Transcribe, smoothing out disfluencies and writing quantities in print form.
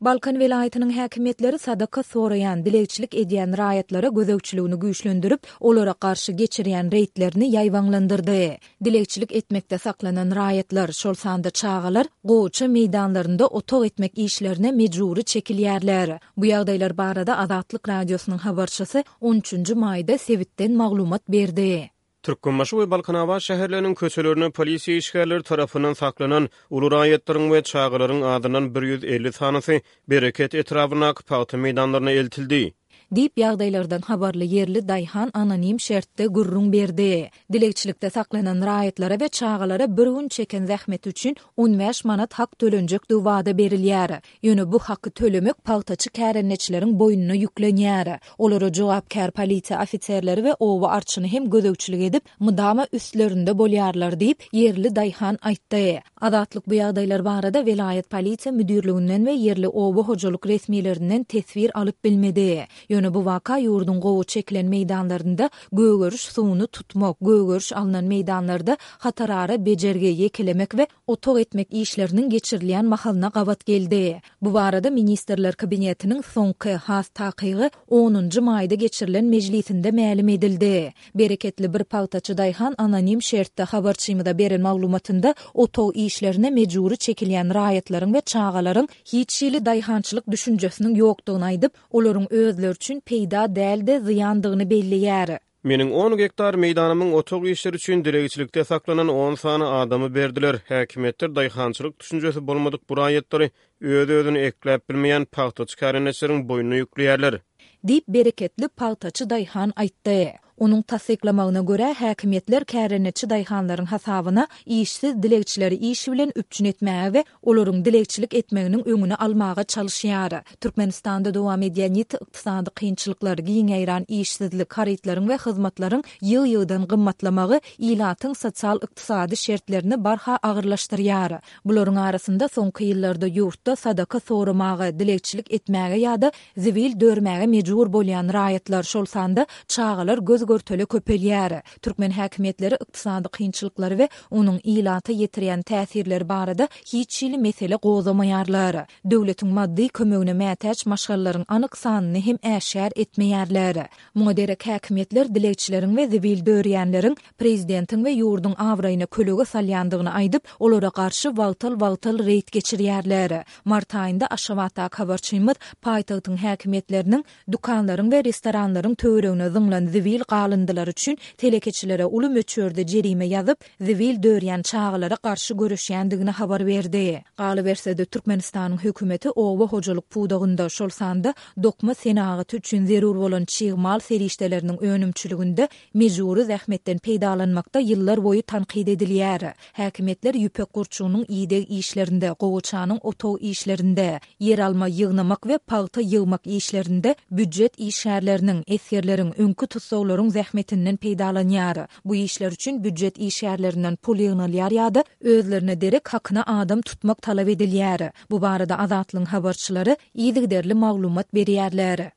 Balkan welaýatynyň häkimiýetleri sadaka soraýan, dilegçilik edýän raýatlara gözegçiligini güýçlendirip, olara garşy geçirýän reýdlerini ýaýbaňlandyrdy. Dilegçilik etmekde saklanan raýatlar, şol sanda çagalar gowaça meýdanlarynda otag etmek işlerine mejbury çekilýärler. Bu ýagdaýlar barada Azatlyk Radiosynyň habarçysy on üçünji maýda sebitden maglumat berdi. Türkmenbaşy we Balkanabat şäherleriniň köçelerinde polisiýa işgärleri tarapyndan saklanan uly raýatlaryň we çagalaryň azyndan 150 sanysy Bereket etrabyndaky pagta meýdanlaryna eltildi. Diýip, ýagdaýlardan habarly ýerli daýhan anonim şertde gürrüň berdi. Dilegçilikde saklanan raýatlara we çagalara bir gün çeken zähmeti üçin 15 manat hak tölenjekdigi wada berilýär. Ýöne bu haky tölemek pagtaçy kärendeçileriň boýnuna ýüklenýär. Olara jogapkär polisiýa ofiserleri we oba arçyny hem gözegçilik edip, mydama üstlerinde bolýarlar diýip, ýerli daýhan aýtdy. Azatlyk bu ýagdaýlar barada welaýat polisiýa müdirliginden we ýerli oba hojalyk resmilerinden teswir alyp bilmedi. Ýöne bu waka ýurduň gowy çekilen meýdanlarynda gögeriş suwuny tutmak, gögeriş alnan meýdanlarda hatarara bejergi, ýekelemek we otag etmek işleriniň geçirilýän mahalyna gabat geldi. Bu barada Ministrler Kabinetiniň soňky, has takygy, onunjy maýda geçirilen mejlisinde mälim edildi. Bereketli bir pagtaçy daýhan anonim şertde habarçymyza beren maglumatynda otag işlerine mejbury çekilýän raýatlaryň we çagalaryň hiç hili daýhançylyk düşünjesiniň ýokdugyny aýdyp, olaryň özleri üçin peýda däl-de, zyýandygyny belleýär. Meniň on gektar meýdanymyň otag işleri üçin dilegçilikde saklanan on sany adamy berdiler. Häkimiýetler daýhançylyk düşünjesi bolmadyk bu raýatlary öz-özüni ekläp bilmeýän pagtaçy kärendeçileriň boýnuna ýükleýärler. Diýip, bereketli pagtaçy daýhan aýtdy. Onuň tassyklamagyna görä, häkimiýetler kärendeçi daýhanlaryň hasabyna işsiz dilegçileri iş bilen üpjün etmäge we olaryň dilegçilik etmeginiň öňüni almaga çalyşýar. Türkmenistanda dowam edýän ýiti ykdysady kynçylyklar, giň ýaýran işsizlik, harytlaryň we hyzmatlaryň ýygy-ýygydan gymmatlamagy ilatyň sosial-ykdysady şertlerini barha agyrlaşdyrýar. Bularyň arasynda soňky ýyllarda ýurtda sadaka soramaga, dilegçilik etmäge ýa-da zibil dörmäge mejbur bolýan raýatlar, şol sanda çagalar göz-görtele köpelýär. Türkmen häkimiýetleri ykdysady kynçylyklary we onuň ilata ýetirýän täsirleri barada hiç hili mesele gozgamaýarlar. Döwletiň maddy kömegine mätäç maşgalalaryň anyk sanyny hem äşgär etmeýärler. Muňa derek häkimiýetler dilegçileriň we zibil dörýänleriň prezidentiň we ýurduň abraýyna kölege salýandygyny aýdyp, olara garşy wagtal-wagtal reýd geçirýärler. Mart aýynda Aşgabatdaky habarçymyz paýtagtyň häkimiýetleriniň dükanlaryň we restoranlaryň töweregine zyňlan zibil galyndylary üçin telekeçilere uly möçberde jerime ýazyp, zibil dörýän çagalara garşy göreşýändigini habar berdi. Galyberse-de, Türkmenistanyň hökümeti oba hojalyk pudagynda, şol sanda dokma senagaty üçin zerur bolan çig mal serişdeleriniň önümçiliginde mejbury zähmetden peýdalanmakda ýyllar boýy tankyt edilýär. Häkimiýetler ýüpek gurçugynyň ideg işlerinde, gowaçanyň otag işlerinde, ýeralma ýygnamak we pagta ýygmak işlerinde býujet işgärleriniň, esgerleriň, öňki tussaglaryň zähmetinden peýdalanýar. Bu işler üçin býujet işgärlerinden pul ýygnalýar ýa-da özlerine derek hakyna adam tutmak talap edilýär. Bu barada Azatlygyň habarçylary yzygiderli maglumat berýärler.